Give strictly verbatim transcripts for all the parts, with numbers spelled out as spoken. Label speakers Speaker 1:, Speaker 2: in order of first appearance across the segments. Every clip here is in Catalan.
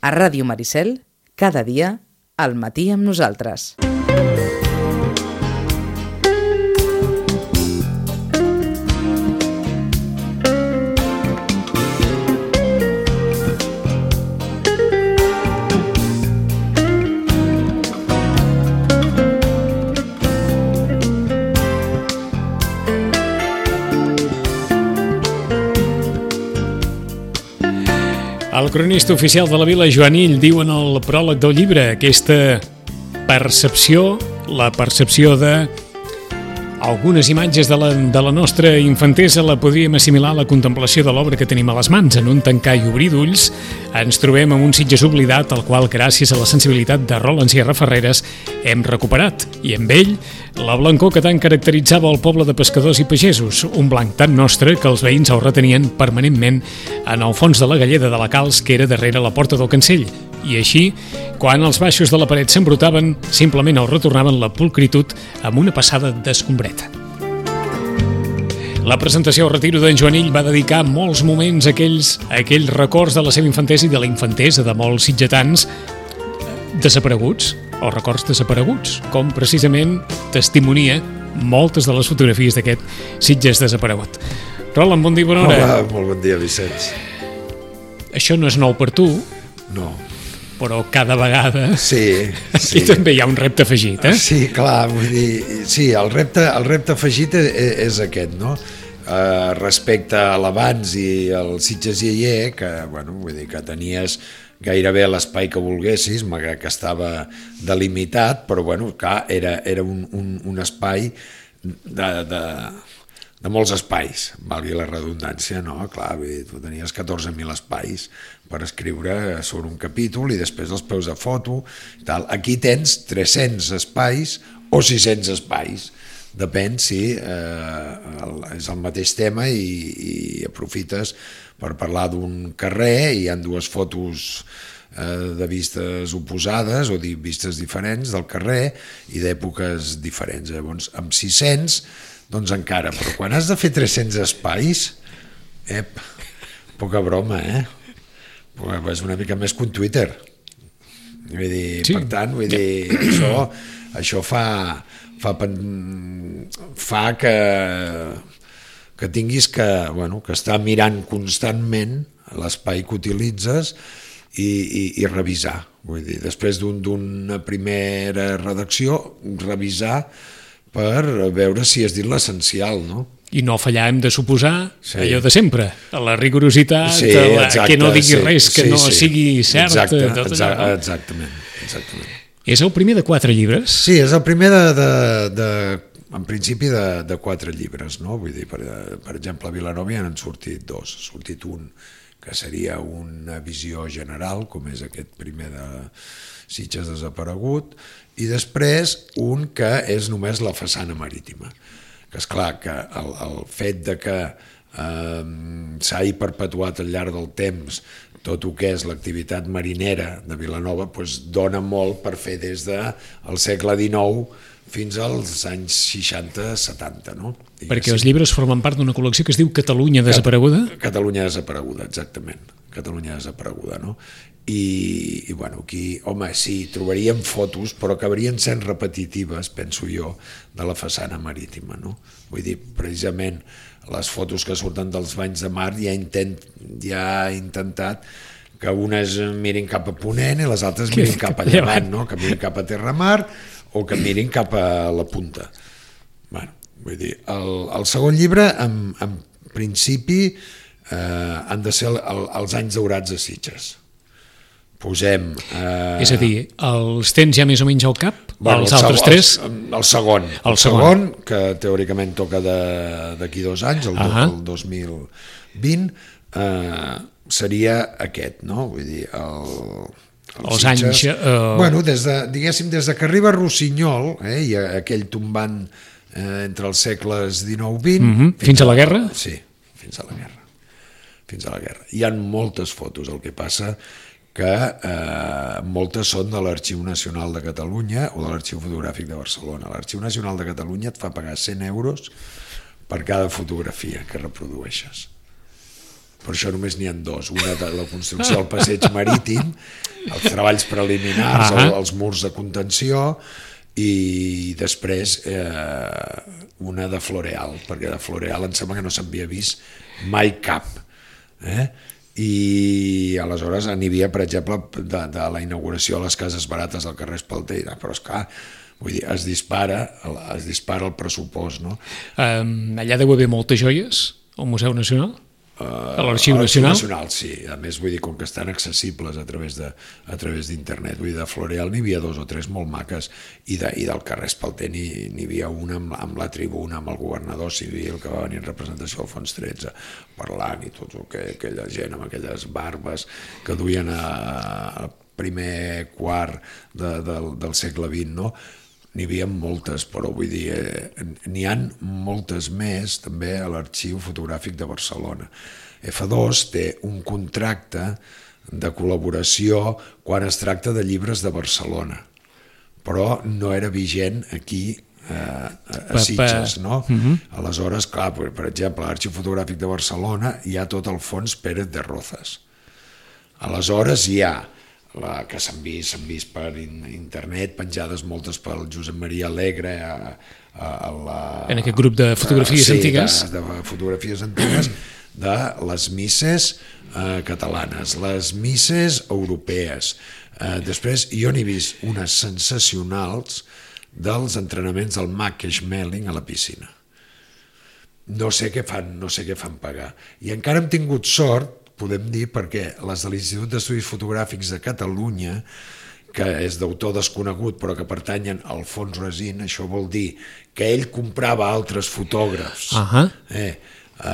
Speaker 1: A Ràdio Maricel, cada dia, al matí amb nosaltres.
Speaker 2: El cronista oficial de la Vila, Joanill, diu en el pròleg del llibre aquesta percepció, la percepció de algunes imatges de la, de la nostra infantesa la podríem assimilar a la contemplació de l'obra que tenim a les mans. En un tancar i obrir d'ulls ens trobem amb un Sitges oblidat, el qual, gràcies a la sensibilitat de Roland Sierra Ferreres, hem recuperat, i amb ell la blancor que tant caracteritzava el poble de pescadors i pagesos, un blanc tan nostre que els veïns el retenien permanentment en el fons de la galleda de la Calç, que era darrere la porta del Cancell, i així, quan els baixos de la paret s'embrotaven, simplement el retornaven la pulcritud amb una passada d'escombreta. La presentació al retiro d'en Joanill va dedicar molts moments a aquells, a aquells records de la seva infantesa i de la infantesa de molts sitgetans desapareguts, o records desapareguts, com precisament testimonia moltes de les fotografies d'aquest Sitges desaparegut. Roland, bon dia, bona hora.
Speaker 3: Hola, molt bon dia, Vicenç.
Speaker 2: Això no és nou per tu.
Speaker 3: No.
Speaker 2: Però cada vegada
Speaker 3: sí,
Speaker 2: aquí
Speaker 3: sí.
Speaker 2: també hi ha un repte afegit, eh?
Speaker 3: Sí, clar, vull dir, sí, el repte, el repte afegit és, és aquest, no? Uh, respecte a l'abans i el Sitges Ialler, que, bueno, vull dir que tenies gairebé l'espai que volguessis, malgrat que estava delimitat, però, bueno, clar, era, era un, un, un espai de... de de molts espais, valgui la redundància, no? Clar, tu tenies catorze mil espais per escriure sobre un capítol i després els peus de foto i tal. Aquí tens tres-cents espais o sis-cents espais, depèn si eh, el, és el mateix tema i, i aprofites per parlar d'un carrer i hi ha dues fotos eh, de vistes oposades o de vistes diferents del carrer i d'èpoques diferents. Llavors, amb sis-cents doncs encara, però quan has de fer tres-cents espais, ep, poca broma, eh? És una mica més que un Twitter. Vull dir, sí. Per tant, vull dir, això, això fa, fa, fa que, que tinguis que, bueno, que estar mirant constantment l'espai que utilitzes i, i, i revisar. Vull dir, després d'un, d'una primera redacció, revisar per veure si has dit l'essencial, no?
Speaker 2: I no fallar, hem de suposar, sí. Allò de sempre, a la rigorositat,
Speaker 3: sí,
Speaker 2: a la,
Speaker 3: exacte,
Speaker 2: que no digui
Speaker 3: sí,
Speaker 2: res que
Speaker 3: sí,
Speaker 2: no
Speaker 3: sí.
Speaker 2: sigui cert.
Speaker 3: Exacte,
Speaker 2: tot
Speaker 3: exa
Speaker 2: allò, no?
Speaker 3: exactament, exactament.
Speaker 2: És el primer de quatre llibres?
Speaker 3: Sí, és el primer de, de, de en principi de, de quatre llibres, no? Vull dir, per, per exemple, a Vilanova ja n'han sortit dos, ha sortit un que seria una visió general, com és aquest primer de Sitges desaparegut, i després un que és només la façana marítima, que és clar que el, el fet de que eh, s'ha perpetuat al llarg del temps tot el que és l'activitat marinera de Vilanova doncs dona molt per fer des del segle dinou fins als anys seixanta setanta, no? I
Speaker 2: perquè els llibres formen part d'una col·lecció que es diu Catalunya desapareguda?
Speaker 3: Catalunya desapareguda, exactament. Catalunya desapareguda, no? I, i bueno, aquí, home, sí, trobaríem fotos, però acabarien sent repetitives, penso jo, de la façana marítima, no? Vull dir, precisament, les fotos que surten dels banys de mar ja, intent, ja ha intentat que unes mirin cap a Ponent i les altres mirin cap a Llevant, no? Que mirin cap a Terramar o que mirin cap a la punta. Bueno, vull dir, el, el segon llibre, en, en principi, eh, han de ser el, els anys daurats de Sitges. Posem... Eh...
Speaker 2: És a dir, els tens ja més o menys al cap?
Speaker 3: Bueno,
Speaker 2: els
Speaker 3: el
Speaker 2: altres
Speaker 3: segon,
Speaker 2: tres?
Speaker 3: El, el segon. El, el segon, segon, que teòricament toca d'aquí dos anys, el, uh -huh. el dos mil vint, eh, seria aquest, no? Vull dir, el... el
Speaker 2: els
Speaker 3: Sitges,
Speaker 2: anys... Uh...
Speaker 3: Bueno, des de, diguéssim, des de que arriba Rossinyol, eh, i aquell tombant eh, entre els segles dinou vint...
Speaker 2: Uh -huh. Fins, fins a la guerra?
Speaker 3: Sí, fins a la guerra. Fins a la guerra. Hi ha moltes fotos, el que passa que eh, moltes són de l'Arxiu Nacional de Catalunya o de l'Arxiu Fotogràfic de Barcelona. L'Arxiu Nacional de Catalunya et fa pagar cent euros per cada fotografia que reprodueixes. Per això només n'hi ha dos, una de la construcció del passeig marítim els treballs preliminars,
Speaker 2: Ahà.
Speaker 3: el, els murs de contenció, i després eh, una de Floreal, perquè de Floreal em sembla que no s'havia vist mai cap. Eh? I aleshores n'hi havia, per exemple, de, de la inauguració a les Cases Barates del carrer Espalter, però és clar, vull dir, es dispara, es dispara el pressupost, no?
Speaker 2: Um, allà deu haver moltes joies, al Museu Nacional? A l'Arxiu Nacional?
Speaker 3: Nacional, sí. A més, vull dir, com que estan accessibles a través de, a través d'internet. Vull dir, de Floreal n'hi havia dos o tres molt maques, i, de, i del carrer Espalter n'hi havia una amb, amb la tribuna, amb el governador civil, que va venir en representació del Fons tretze, parlant, i tot el que aquella gent amb aquelles barbes que duien a, a primer quart de, del, del segle vint, no? N'hi havia moltes, però vull dir, eh, n'hi han moltes més també a l'Arxiu Fotogràfic de Barcelona. F dos té un contracte de col·laboració quan es tracta de llibres de Barcelona, però no era vigent aquí eh, a Sitges, no? Uh-huh. Aleshores, clar, per exemple, a l'Arxiu Fotogràfic de Barcelona hi ha tot el fons Pérez de Rozas. Aleshores hi ha la, que s'han vist, s'han vist per internet, penjades moltes pel Josep Maria Alegre a, a, a la,
Speaker 2: en aquest grup de fotografies
Speaker 3: sí,
Speaker 2: antigues
Speaker 3: de, de fotografies antigues de les misses eh, catalanes, les misses europees. Eh, després jo n'he vist unes sensacionals dels entrenaments del Mac Schmeling a la piscina. No sé què fan, no sé què fan pagar. I encara hem tingut sort, podem dir, perquè les de l'Institut d'Estudis Fotogràfics de Catalunya, que és d'autor desconegut però que pertanyen al Fons Resin, això vol dir que ell comprava altres fotògrafs, uh-huh. eh,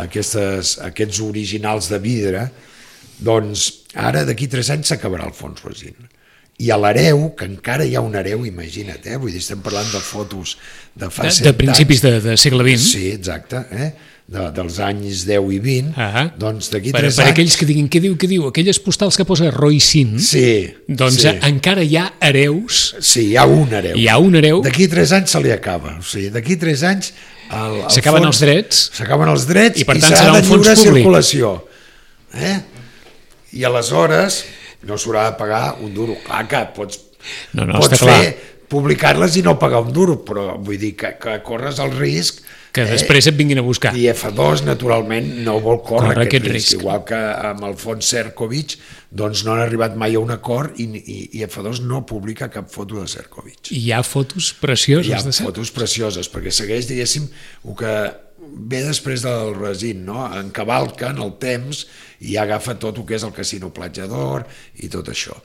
Speaker 3: aquestes, aquests originals de vidre, doncs ara d'aquí tres anys s'acabarà el Fons Resin. I a l'hereu, que encara hi ha un hereu, imagina't, eh? Vull dir, estem parlant de fotos de fa
Speaker 2: de, de principis anys, de, de segle vint.
Speaker 3: Sí, exacte, eh? De, dels anys deu i vint,
Speaker 2: ah,
Speaker 3: doncs d'aquí
Speaker 2: per,
Speaker 3: tres
Speaker 2: per
Speaker 3: anys...
Speaker 2: Per aquells que diguin, què diu, què diu? Aquelles postals que posa Roy Sin,
Speaker 3: sí,
Speaker 2: doncs
Speaker 3: sí.
Speaker 2: encara hi ha hereus.
Speaker 3: Sí, hi ha un hereu.
Speaker 2: Hi ha un hereu.
Speaker 3: D'aquí tres anys se li acaba. O sigui, d'aquí tres anys...
Speaker 2: S'acaben els drets.
Speaker 3: S'acaben els drets
Speaker 2: i, per
Speaker 3: i
Speaker 2: tant,
Speaker 3: serà
Speaker 2: serà
Speaker 3: de
Speaker 2: un fons
Speaker 3: lliure
Speaker 2: públic.
Speaker 3: Circulació. Eh? I aleshores no s'haurà de pagar un duro. Clar que pots,
Speaker 2: no, no,
Speaker 3: pots
Speaker 2: està
Speaker 3: fer
Speaker 2: clar.
Speaker 3: Publicar-les i no pagar un duro, però vull dir que, que corres el risc
Speaker 2: que després eh? et vinguin a buscar.
Speaker 3: I F dos, naturalment, no vol córrer
Speaker 2: Corre
Speaker 3: aquest,
Speaker 2: aquest
Speaker 3: risc.
Speaker 2: risc.
Speaker 3: Igual que amb el fons Serkovic, doncs no han arribat mai a un acord i, i, i F dos no publica cap foto de Serkovic.
Speaker 2: I hi ha fotos precioses
Speaker 3: hi ha
Speaker 2: de Serkovic.
Speaker 3: fotos precioses, perquè segueix, diguéssim, el que ve després del Resin, no? Encavalca en el temps i agafa tot el que és el Casino Platja d'Or i tot això.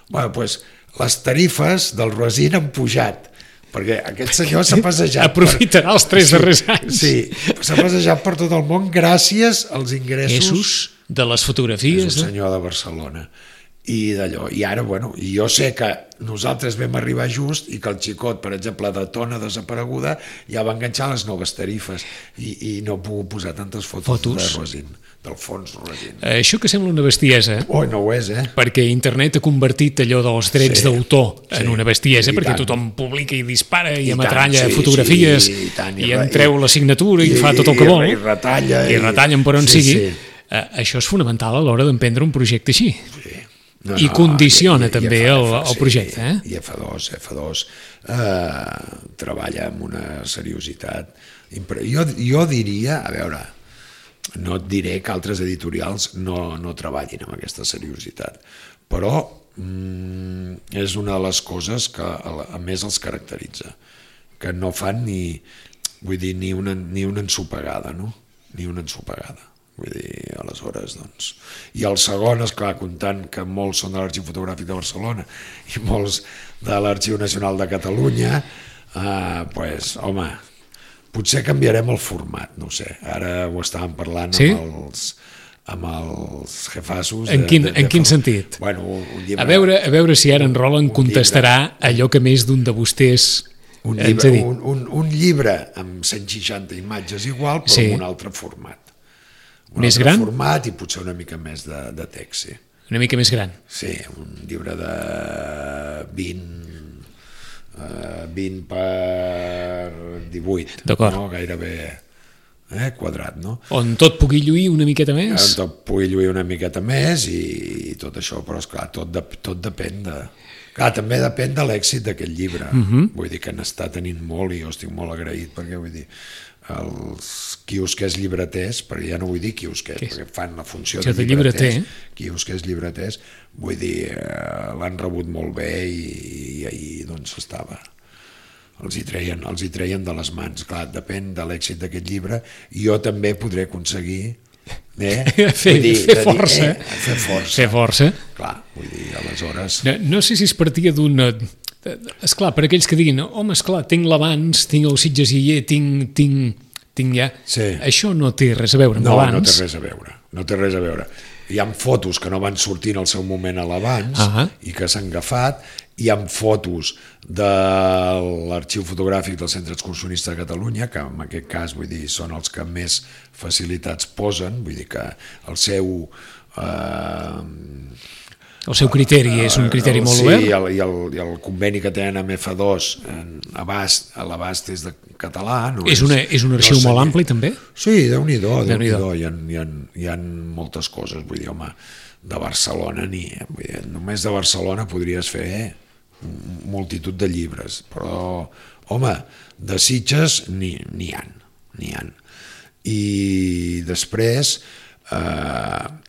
Speaker 3: Bueno, doncs, les tarifes del Resin han pujat, perquè aquest senyor s'ha passejat...
Speaker 2: Aprofitarà per... els tres darrers anys.
Speaker 3: Sí, s'ha passejat per tot el món gràcies als ingressos...
Speaker 2: Essos de les fotografies.
Speaker 3: És un senyor de Barcelona. I d'allò, i ara, bueno, jo sé que nosaltres vam arribar just i que el xicot, per exemple, de Tona Desapareguda ja va enganxar les noves tarifes i, i no puc posar tantes fotos, fotos? de Resin, del fons Resin.
Speaker 2: Això que sembla una bestiesa.
Speaker 3: Oh, no ho és, eh?
Speaker 2: Perquè internet ha convertit allò dels drets sí, d'autor en sí, una bestiesa, perquè tant. Tothom publica i dispara i, I ametralla tant, sí, fotografies sí, i, tant, i, i en treu la signatura i, i fa tot el que
Speaker 3: i,
Speaker 2: vol.
Speaker 3: I retalla.
Speaker 2: I, i retallen per on
Speaker 3: sí,
Speaker 2: sigui.
Speaker 3: Sí.
Speaker 2: Uh, això és fonamental a l'hora d'emprendre un projecte així.
Speaker 3: Sí. No,
Speaker 2: I
Speaker 3: no,
Speaker 2: condiciona
Speaker 3: i, i,
Speaker 2: també
Speaker 3: i F,
Speaker 2: el,
Speaker 3: F,
Speaker 2: el projecte.
Speaker 3: Sí,
Speaker 2: eh?
Speaker 3: I F dos, F dos eh, treballa amb una seriositat. Jo, jo diria, a veure, no et diré que altres editorials no, no treballin amb aquesta seriositat, però mm, és una de les coses que a, a més els caracteritza, que no fan ni, vull dir, ni una, ni una ensopegada, no? Ni una ensopegada. Vull dir, aleshores, doncs... I el segon, esclar, comptant que molts són de l'Arxiu Fotogràfic de Barcelona i molts de l'Arxiu Nacional de Catalunya, eh, pues, home, potser canviarem el format, no ho sé. Ara ho estàvem parlant sí? amb els amb els jefassos...
Speaker 2: En quin, de, de, en quin sentit?
Speaker 3: Bueno, un llibre,
Speaker 2: a, veure, a veure si ara en Roland contestarà llibre, allò que més d'un de vostès
Speaker 3: un llibre, un, un, un llibre amb cent seixanta imatges igual, però sí. amb un altre format. Un
Speaker 2: més
Speaker 3: altre
Speaker 2: gran?
Speaker 3: format i potser una mica més de, de text, sí.
Speaker 2: Una mica més gran?
Speaker 3: Sí, un llibre de vint, uh, vint per divuit, no? Gairebé, eh, quadrat, no?
Speaker 2: On tot pugui lluir una miqueta més.
Speaker 3: On tot pugui lluir una miqueta més i, i tot això, però esclar, tot, de, tot depèn de... Clar, també depèn de l'èxit d'aquest llibre. Uh-huh. Vull dir que n'està tenint molt i jo estic molt agraït perquè, vull dir, els quiosquers llibreters, perquè ja no vull dir quiosquers,
Speaker 2: que
Speaker 3: perquè fan la funció
Speaker 2: de,
Speaker 3: de
Speaker 2: llibreters,
Speaker 3: llibreter. quiosquers llibreters, vull dir, eh, l'han rebut molt bé i, i ahir doncs estava... Els hi, treien, els hi treien de les mans. Clar, depèn de l'èxit d'aquest llibre i jo també podré aconseguir eh,
Speaker 2: fer,
Speaker 3: dir,
Speaker 2: fer, força,
Speaker 3: dir, eh, fer força.
Speaker 2: Fer força.
Speaker 3: Clar, vull dir, aleshores...
Speaker 2: No, no sé si es partia d'una... Esclar, per aquells que diguin, home, esclar, tinc l'abans, tinc el Sitges i Aller, tinc, tinc, tinc ja...
Speaker 3: Sí.
Speaker 2: Això no té res a veure amb
Speaker 3: no,
Speaker 2: l'abans.
Speaker 3: No, no té res a veure, no té res a veure. Hi ha fotos que no van sortir en el seu moment a l'abans uh-huh. i que s'han agafat, hi ha fotos de l'arxiu fotogràfic del Centre Excursionista de Catalunya, que en aquest cas vull dir, són els que més facilitats posen, vull dir que el seu... Eh,
Speaker 2: el seu criteri és un criteri
Speaker 3: el,
Speaker 2: molt
Speaker 3: sí,
Speaker 2: obert?
Speaker 3: Sí, i el, i, el, i el conveni que tenen amb F dos en abast, a l'abast és de català. No
Speaker 2: és, una, és un arxiu no molt ampli, també?
Speaker 3: Sí, Déu-n'hi-do,
Speaker 2: Déu-n'hi-do.
Speaker 3: Déu hi, ha, hi, ha, hi ha moltes coses, vull dir, home, de Barcelona ni... Vull dir, només de Barcelona podries fer multitud de llibres, però, home, de Sitges n'hi n'hi ha, n'hi ha. I després... Eh,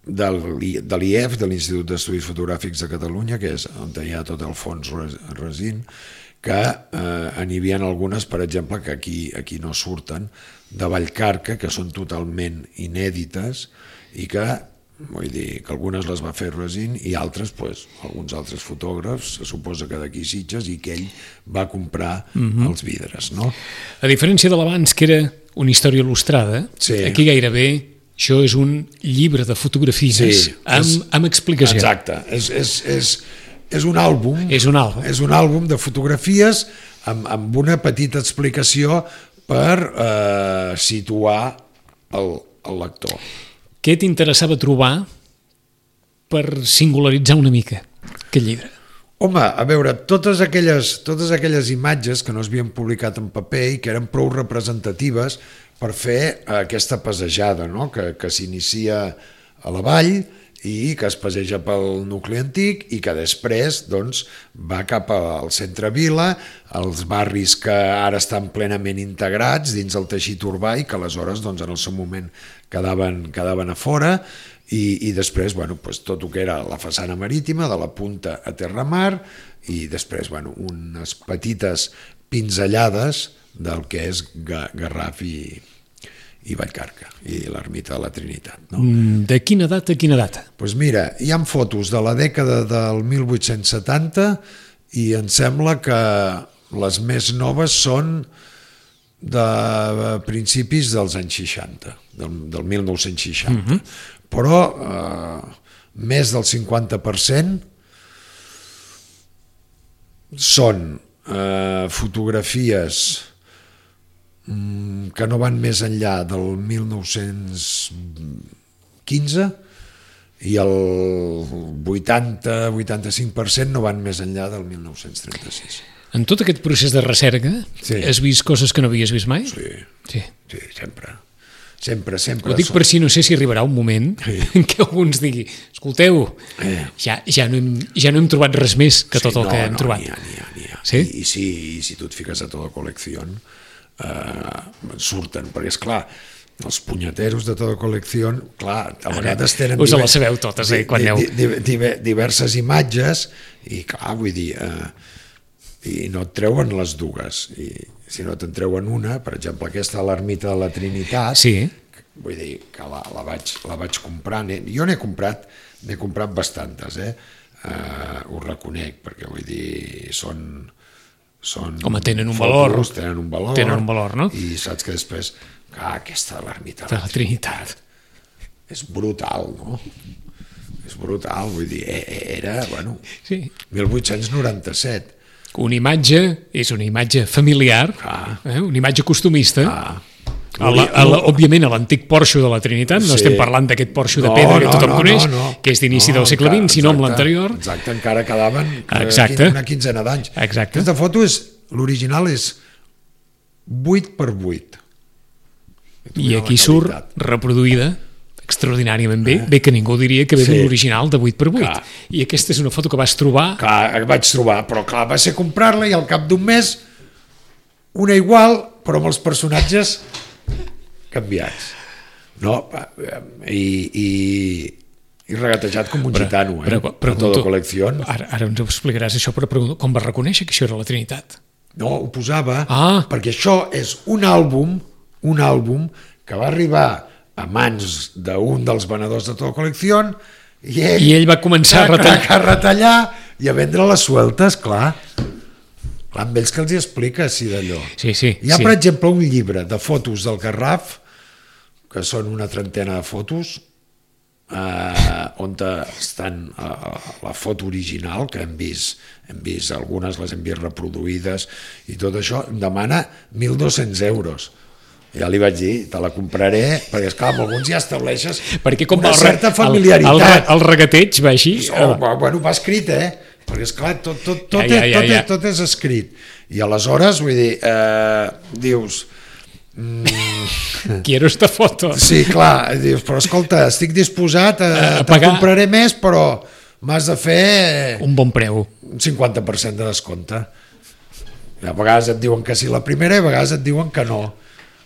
Speaker 3: de l'I E F, de l'Institut d'Estudis Fotogràfics de Catalunya, que és on hi ha tot el fons Resín, que eh, n'hi havia algunes, per exemple, que aquí, aquí no surten, de Vallcarca, que són totalment inèdites i que, vull dir, que algunes les va fer Resín i altres, pues, alguns altres fotògrafs, se suposa que d'aquí Sitges, i que ell va comprar uh-huh. els vidres, no?
Speaker 2: A diferència de l'abans, que era una història il·lustrada,
Speaker 3: sí.
Speaker 2: aquí gairebé això és un llibre de fotografies sí, amb, és, amb explicació.
Speaker 3: Exacte, és, és, és, és un àlbum,
Speaker 2: és un àlbum,
Speaker 3: és un àlbum de fotografies amb, amb una petita explicació per eh, situar el, el lector.
Speaker 2: Què t'interessava trobar per singularitzar una mica aquest llibre?
Speaker 3: Home, a veure, totes aquelles, totes aquelles imatges que no s'havien publicat en paper i que eren prou representatives per fer aquesta passejada, no? que, que s'inicia a la vall i que es passeja pel nucli antic i que després doncs, va cap al centre vila, als barris que ara estan plenament integrats dins el teixit urbà i que aleshores doncs, en el seu moment quedaven, quedaven a fora i, i després bueno, pues, tot el que era la façana marítima, de la punta a Terramar i després bueno, unes petites pinzellades del que és Garraf i, i Vallcarca i l'ermita de la Trinitat. No?
Speaker 2: De quina data a quina data?
Speaker 3: Pues mira, hi ha fotos de la dècada del mil vuit-cents setanta i em sembla que les més noves són de principis dels anys seixanta, del, del mil nou-cents seixanta. Uh-huh. Però eh, més del cinquanta per cent són eh, fotografies que no van més enllà del mil nou-cents quinze i el vuitanta a vuitanta-cinc per cent no van més enllà del mil nou-cents trenta-sis.
Speaker 2: En tot aquest procés de recerca sí. has vist coses que no havies vist mai?
Speaker 3: Sí,
Speaker 2: sí.
Speaker 3: sí sempre. Sempre, sempre.
Speaker 2: Ho dic per si no sé si arribarà un moment sí. en què alguns digui, escolteu, eh. ja, ja, no hem, ja no hem trobat res més que tot sí, el no, que hem
Speaker 3: no,
Speaker 2: trobat.
Speaker 3: N'hi ha, n'hi ha, n'hi ha.
Speaker 2: Sí?
Speaker 3: I, i, si, I si tu et fiques a tota col·lecció eh, surten, perquè és clar, els punyeteros de tota col·lecció, clar, a vegades tenen...
Speaker 2: Us les sabeu totes, eh, quan aneu...
Speaker 3: Di, di, di, diverses imatges i clar, vull dir... Eh, i no et treuen les dues i si no te'n treuen una, per exemple aquesta a l'ermita de la Trinitat
Speaker 2: sí.
Speaker 3: vull dir que la, la, vaig, la vaig comprar, jo n'he comprat n'he comprat bastantes eh? Uh, ho reconec perquè vull dir són, són
Speaker 2: home, tenen un
Speaker 3: fotos,
Speaker 2: valor
Speaker 3: tenen un valor,
Speaker 2: tenen un valor no?
Speaker 3: I saps que després ah, aquesta de l'ermita
Speaker 2: de la Trinitat
Speaker 3: és brutal, no? És brutal, vull dir, era, bueno,
Speaker 2: sí.
Speaker 3: mil vuit-cents noranta-set.
Speaker 2: Una imatge és una imatge familiar, ah. eh? Una imatge costumista.
Speaker 3: Ah.
Speaker 2: A la, a la, òbviament a l'antic porxo de la Trinitat, no sí. estem parlant d'aquest porxo de
Speaker 3: no,
Speaker 2: pedra que
Speaker 3: no,
Speaker 2: tothom
Speaker 3: no,
Speaker 2: coneix,
Speaker 3: no, no.
Speaker 2: que és d'inici
Speaker 3: no,
Speaker 2: del segle vint, sinó amb l'anterior.
Speaker 3: Exacte, encara quedaven
Speaker 2: exacte.
Speaker 3: una quinzena d'anys.
Speaker 2: Exacte.
Speaker 3: Aquesta foto és, l'original és vuit per vuit.
Speaker 2: I aquí surt reproduïda extraordinàriament bé, bé que ningú diria que ve
Speaker 3: Sí.
Speaker 2: d'un original de vuit per vuit.
Speaker 3: Clar.
Speaker 2: I aquesta és una foto que vas trobar.
Speaker 3: Clar, vaig trobar, però clar, va ser comprar-la i al cap d'un mes una igual, però amb els personatges canviats. No? I, i, i regatejat com un
Speaker 2: Però-
Speaker 3: gitano, eh?
Speaker 2: però-
Speaker 3: Per
Speaker 2: pregunto-
Speaker 3: tota col·lecció.
Speaker 2: Ara, ara ens ho explicaràs això, però pregunto, com vas reconèixer que això era la Trinitat?
Speaker 3: No, ho posava,
Speaker 2: Ah.
Speaker 3: perquè això és un àlbum, un àlbum que va arribar a mans d'un dels venedors de tota col·lecció i ell,
Speaker 2: I ell va començar a retallar.
Speaker 3: a retallar i a vendre les sueltes, clar. Clar, amb ells que els hi explica, si d'allò.
Speaker 2: Sí, sí.
Speaker 3: Hi ha,
Speaker 2: sí.
Speaker 3: per exemple, un llibre de fotos del Garraf, que són una trentena de fotos, eh, on estan eh, la foto original, que hem vist, hem vist algunes, les hem vist reproduïdes, i tot això, em demana mil dos-cents euros. Ja li vaig dir, te la compraré, perquè esclar, amb alguns ja estableixes
Speaker 2: Perquè com
Speaker 3: una
Speaker 2: va el, re-
Speaker 3: certa
Speaker 2: el,
Speaker 3: familiaritat.
Speaker 2: el, el regateig va així.
Speaker 3: Oh, bueno, va escrit, eh? Perquè, esclar, tot, tot, tot,
Speaker 2: Ja, ja,
Speaker 3: és,
Speaker 2: ja,
Speaker 3: tot,
Speaker 2: ja.
Speaker 3: és, tot és escrit. I aleshores, vull dir, eh, dius... Mm,
Speaker 2: Quiero esta foto.
Speaker 3: sí, clar, dius, però escolta, estic disposat a,
Speaker 2: A
Speaker 3: a
Speaker 2: pagar.
Speaker 3: compraré més, però m'has de fer
Speaker 2: Un bon preu.
Speaker 3: un cinquanta per cent de descompte. I a vegades et diuen que sí la primera i a vegades et diuen que no.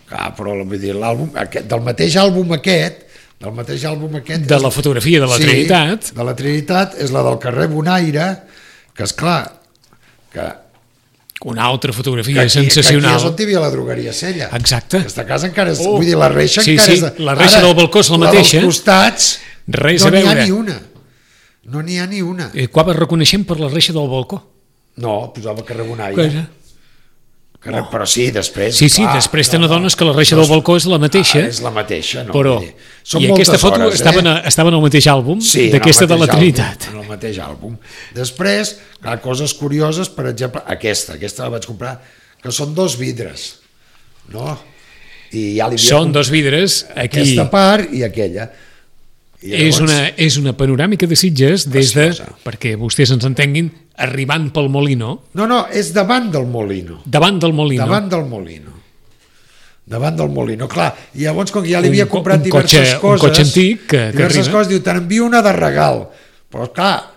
Speaker 3: Clar, però vull dir, l'àlbum, aquest, del mateix àlbum aquest, del mateix àlbum aquest...
Speaker 2: De la fotografia de la
Speaker 3: sí,
Speaker 2: Trinitat.
Speaker 3: de la Trinitat, és la del carrer Bonaire, que és clar, que,
Speaker 2: Una altra
Speaker 3: que,
Speaker 2: fotografia
Speaker 3: aquí, que aquí
Speaker 2: sensacional.
Speaker 3: és on hi havia la drogueria Sella.
Speaker 2: Exacte.
Speaker 3: Aquesta casa encara és...
Speaker 2: Oh.
Speaker 3: Vull dir, la reixa
Speaker 2: Sí,
Speaker 3: encara
Speaker 2: sí,
Speaker 3: és... De,
Speaker 2: la reixa del balcó és la mateixa.
Speaker 3: La dels costats
Speaker 2: Res
Speaker 3: no
Speaker 2: a
Speaker 3: n'hi ha
Speaker 2: veure.
Speaker 3: ni una. No n'hi ha ni una.
Speaker 2: Eh, Quan es reconeixem per la reixa del balcó.
Speaker 3: No, posava carrer Bonaire.
Speaker 2: Cosa?
Speaker 3: Carrer, però sí, després...
Speaker 2: Sí, sí,
Speaker 3: clar,
Speaker 2: després te n'adones que la reixa del balcó és la mateixa.
Speaker 3: Ah, és la mateixa, no?
Speaker 2: Però,
Speaker 3: Vull dir, són
Speaker 2: i aquesta
Speaker 3: moltes
Speaker 2: foto
Speaker 3: hores,
Speaker 2: estava,
Speaker 3: eh?
Speaker 2: en, estava en el mateix àlbum
Speaker 3: Sí, en el
Speaker 2: d'aquesta de la
Speaker 3: mateix
Speaker 2: Trinitat.
Speaker 3: àlbum, en el mateix àlbum. Després, clar, coses curioses, per exemple, aquesta, aquesta la vaig comprar, que són dos vidres, no? I ja li havia
Speaker 2: Són
Speaker 3: comp-
Speaker 2: dos vidres, aquí
Speaker 3: Aquesta part i aquella. I
Speaker 2: és una, és una panoràmica de Sitges des de,
Speaker 3: Preciosa.
Speaker 2: perquè vostès ens entenguin, arribant pel Molino,
Speaker 3: No, no, és davant del Molino.
Speaker 2: davant del Molino.
Speaker 3: Davant del Molino. Davant del Molino, clar. I llavors, com que ja li
Speaker 2: Un
Speaker 3: havia
Speaker 2: co-
Speaker 3: comprat
Speaker 2: un
Speaker 3: diverses
Speaker 2: cotxe- un
Speaker 3: coses...
Speaker 2: cotxe antic que- que
Speaker 3: diverses
Speaker 2: arriba.
Speaker 3: coses, diu, te n'envio una de regal. Però, clar,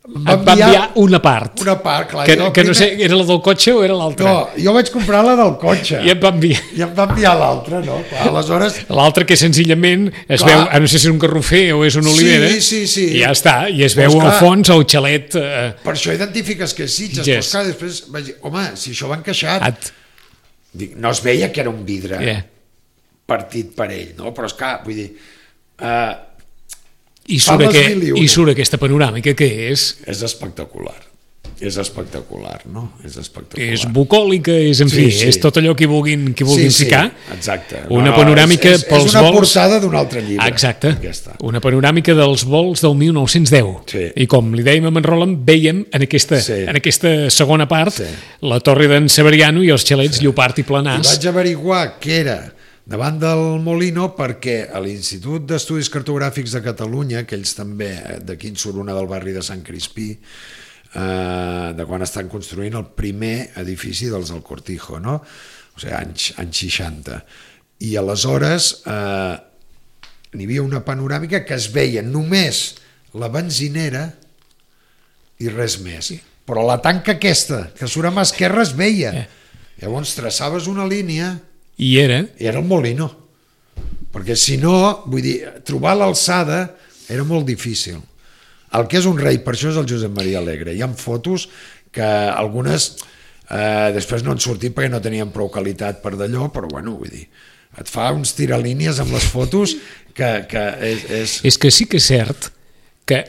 Speaker 3: em
Speaker 2: Et va enviar una part.
Speaker 3: una part, clar.
Speaker 2: que,
Speaker 3: jo
Speaker 2: que no sé,
Speaker 3: primer-
Speaker 2: era la del cotxe o era l'altra?
Speaker 3: No, jo vaig comprar la del cotxe.
Speaker 2: I et va enviar.
Speaker 3: I em va enviar l'altra, no? Clar, aleshores...
Speaker 2: L'altre que senzillament es
Speaker 3: Clar.
Speaker 2: veu, ah, no sé si és un garrofer o és una olivera,
Speaker 3: Sí, sí, sí.
Speaker 2: i ja està, i es
Speaker 3: Doncs
Speaker 2: veu al
Speaker 3: clar.
Speaker 2: fons el xalet. Eh,
Speaker 3: Per això identifiques que és Sitges.
Speaker 2: Sitges.
Speaker 3: Però, clar, després vaig dir, home, si això va encaixat...
Speaker 2: at,
Speaker 3: Dic, no es veia que era un vidre
Speaker 2: yeah.
Speaker 3: partit per ell, no? Però, esclar, vull dir... Eh,
Speaker 2: I,
Speaker 3: Fa
Speaker 2: surt
Speaker 3: les
Speaker 2: aquest,
Speaker 3: mil i una.
Speaker 2: I surt aquesta panoràmica que és
Speaker 3: és espectacular. És espectacular, no? És espectacular.
Speaker 2: és bucòlica, és, en
Speaker 3: Sí,
Speaker 2: fi,
Speaker 3: sí.
Speaker 2: és tot allò que vulguin, que vulguin
Speaker 3: sí, sí,
Speaker 2: ficar.
Speaker 3: exacte.
Speaker 2: Una
Speaker 3: No,
Speaker 2: panoràmica
Speaker 3: és, és,
Speaker 2: pels
Speaker 3: és una
Speaker 2: vols...
Speaker 3: portada d'un altre llibre.
Speaker 2: Exacte,
Speaker 3: Aquesta.
Speaker 2: una panoràmica dels vols del mil nou-cents deu.
Speaker 3: Sí.
Speaker 2: I com li dèiem a en Roland, veiem en aquesta,
Speaker 3: Sí.
Speaker 2: en aquesta segona part
Speaker 3: Sí.
Speaker 2: la torre d'en Severiano i els xalets sí. Llopart i
Speaker 3: I
Speaker 2: Planàs.
Speaker 3: vaig averiguar què era davant del Molino perquè a l'Institut d'Estudis Cartogràfics de Catalunya, que ells també, d'aquí en surt una del barri de Sant Crispí, eh, de quan estan construint el primer edifici dels del Cortijo, no? O sigui, anys, anys seixanta. I aleshores eh, n'hi havia una panoràmica que es veia només la benzinera i res més. Però la tanca aquesta, que surt a mà esquerra, es veia.
Speaker 2: Eh.
Speaker 3: Llavors traçaves una línia
Speaker 2: I era...
Speaker 3: i era el Molino. Perquè si no, vull dir, trobar l'alçada era molt difícil. El que és un rei, per això és el Josep Maria Alegre. Hi ha fotos que algunes eh, després no han sortit perquè no tenien prou qualitat per d'allò, però bueno, vull dir, et fa uns tiralínies amb les fotos que, que és, és...
Speaker 2: És que sí que és cert que,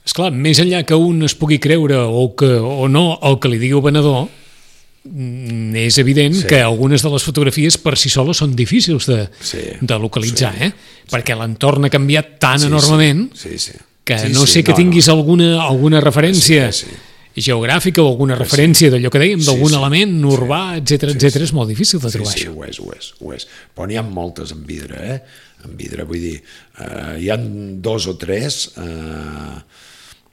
Speaker 2: esclar, més enllà que un es pugui creure o, que, o no el que li digui el venedor, és evident
Speaker 3: Sí.
Speaker 2: sí. que algunes de les fotografies per si soles són difícils de,
Speaker 3: Sí.
Speaker 2: de localitzar,
Speaker 3: Sí.
Speaker 2: eh? perquè l'entorn ha canviat tan
Speaker 3: Sí,
Speaker 2: enormement
Speaker 3: sí, sí.
Speaker 2: que
Speaker 3: Sí,
Speaker 2: no
Speaker 3: sí,
Speaker 2: sé que
Speaker 3: no,
Speaker 2: tinguis
Speaker 3: no.
Speaker 2: alguna, alguna referència
Speaker 3: Sí, sí.
Speaker 2: geogràfica o alguna referència d'allò que dèiem,
Speaker 3: Sí,
Speaker 2: d'algun
Speaker 3: sí.
Speaker 2: element urbà, etcètera,
Speaker 3: Sí,
Speaker 2: etcètera,
Speaker 3: sí.
Speaker 2: és molt difícil de
Speaker 3: Sí,
Speaker 2: trobar
Speaker 3: sí,
Speaker 2: això.
Speaker 3: ho és, ho és, ho és. Però n'hi ha moltes en vidre, eh? En vidre, vull dir, eh, hi ha dos o tres eh,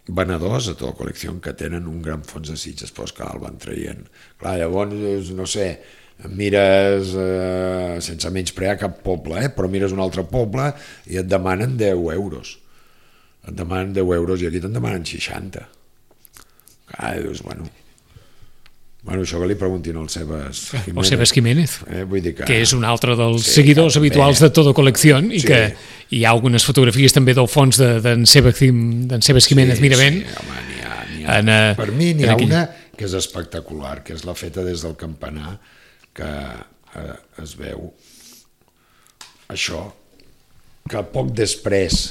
Speaker 3: venedors a tota la col·lecció que tenen un gran fons de Sitges, però esclar, el van traient. Clar, llavors, no sé, mires, eh, sense menysprear cap poble, eh, però mires un altre poble i et demanen deu euros. Et demanen deu euros i aquí te'n demanen seixanta. Ah, dius, bueno... Bueno, això que li preguntin al Sebas Jiménez.
Speaker 2: O Sebas Jiménez,
Speaker 3: eh, vull dir que...
Speaker 2: que és un altre dels
Speaker 3: sí,
Speaker 2: seguidors
Speaker 3: que
Speaker 2: habituals
Speaker 3: també...
Speaker 2: de Todo Colección i
Speaker 3: sí.
Speaker 2: que hi ha algunes fotografies també del fons d'en de, Sebas, Sebas Jiménez
Speaker 3: sí,
Speaker 2: Miravent.
Speaker 3: Sí, home, n'hi ha, n'hi ha.
Speaker 2: En, uh,
Speaker 3: per mi n'hi ha
Speaker 2: aquell...
Speaker 3: una que és espectacular, que és la feta des del campanar, que eh, es veu això, que poc després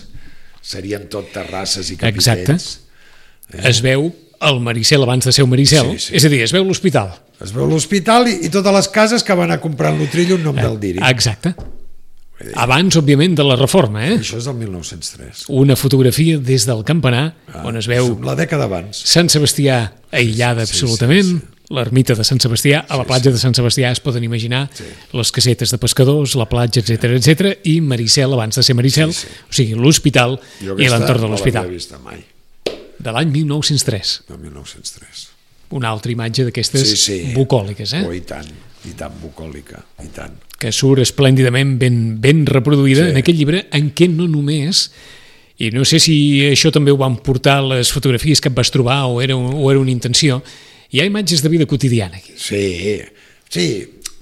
Speaker 3: serien tot terrasses i capitells.
Speaker 2: Exacte. Eh? Es veu el Maricel abans de ser un Maricel, sí, sí. És a dir, es veu l'hospital.
Speaker 3: Es veu l'hospital i, i totes les cases que van a comprar en l'Utrillo un nom del Diri.
Speaker 2: Exacte. Abans, òbviament, de la reforma, eh?
Speaker 3: Això és del mil nou-cents tres.
Speaker 2: Una fotografia des del campanar, ah, on es veu
Speaker 3: la dècada abans.
Speaker 2: Sant Sebastià aïllada sí, absolutament, sí, sí. L'ermita de Sant Sebastià, a la platja sí, sí. de Sant Sebastià es poden imaginar sí. les casetes de pescadors, la platja, etcètera, etcètera, i Maricel abans de ser Maricel, sí, sí. o sigui, l'hospital i l'entorn de l'hospital.
Speaker 3: Jo aquesta no l'havia vista mai.
Speaker 2: De l'any mil nou-cents tres.
Speaker 3: De mil nou-cents tres.
Speaker 2: Una altra imatge d'aquestes
Speaker 3: sí, sí.
Speaker 2: bucòliques, eh?
Speaker 3: Oh, i tant, i tant bucòlica, i tant.
Speaker 2: Que surt esplèndidament ben, ben reproduïda sí. en aquest llibre, en què no només, i no sé si això també ho van portar les fotografies que et vas trobar o era, o era una intenció, hi ha imatges de vida quotidiana aquí.
Speaker 3: Sí, sí,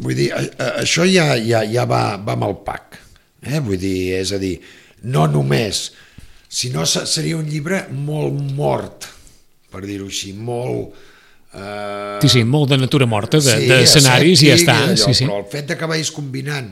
Speaker 3: vull dir, això ja, ja, ja va, va amb el pack, eh? Vull dir, és a dir, no només... Si no, seria un llibre molt mort, per dir-ho així, molt... Eh...
Speaker 2: Sí, sí, molt de natura morta, d'escenaris sí, i ja està.
Speaker 3: Allò,
Speaker 2: sí, sí.
Speaker 3: Però el fet de que vagis combinant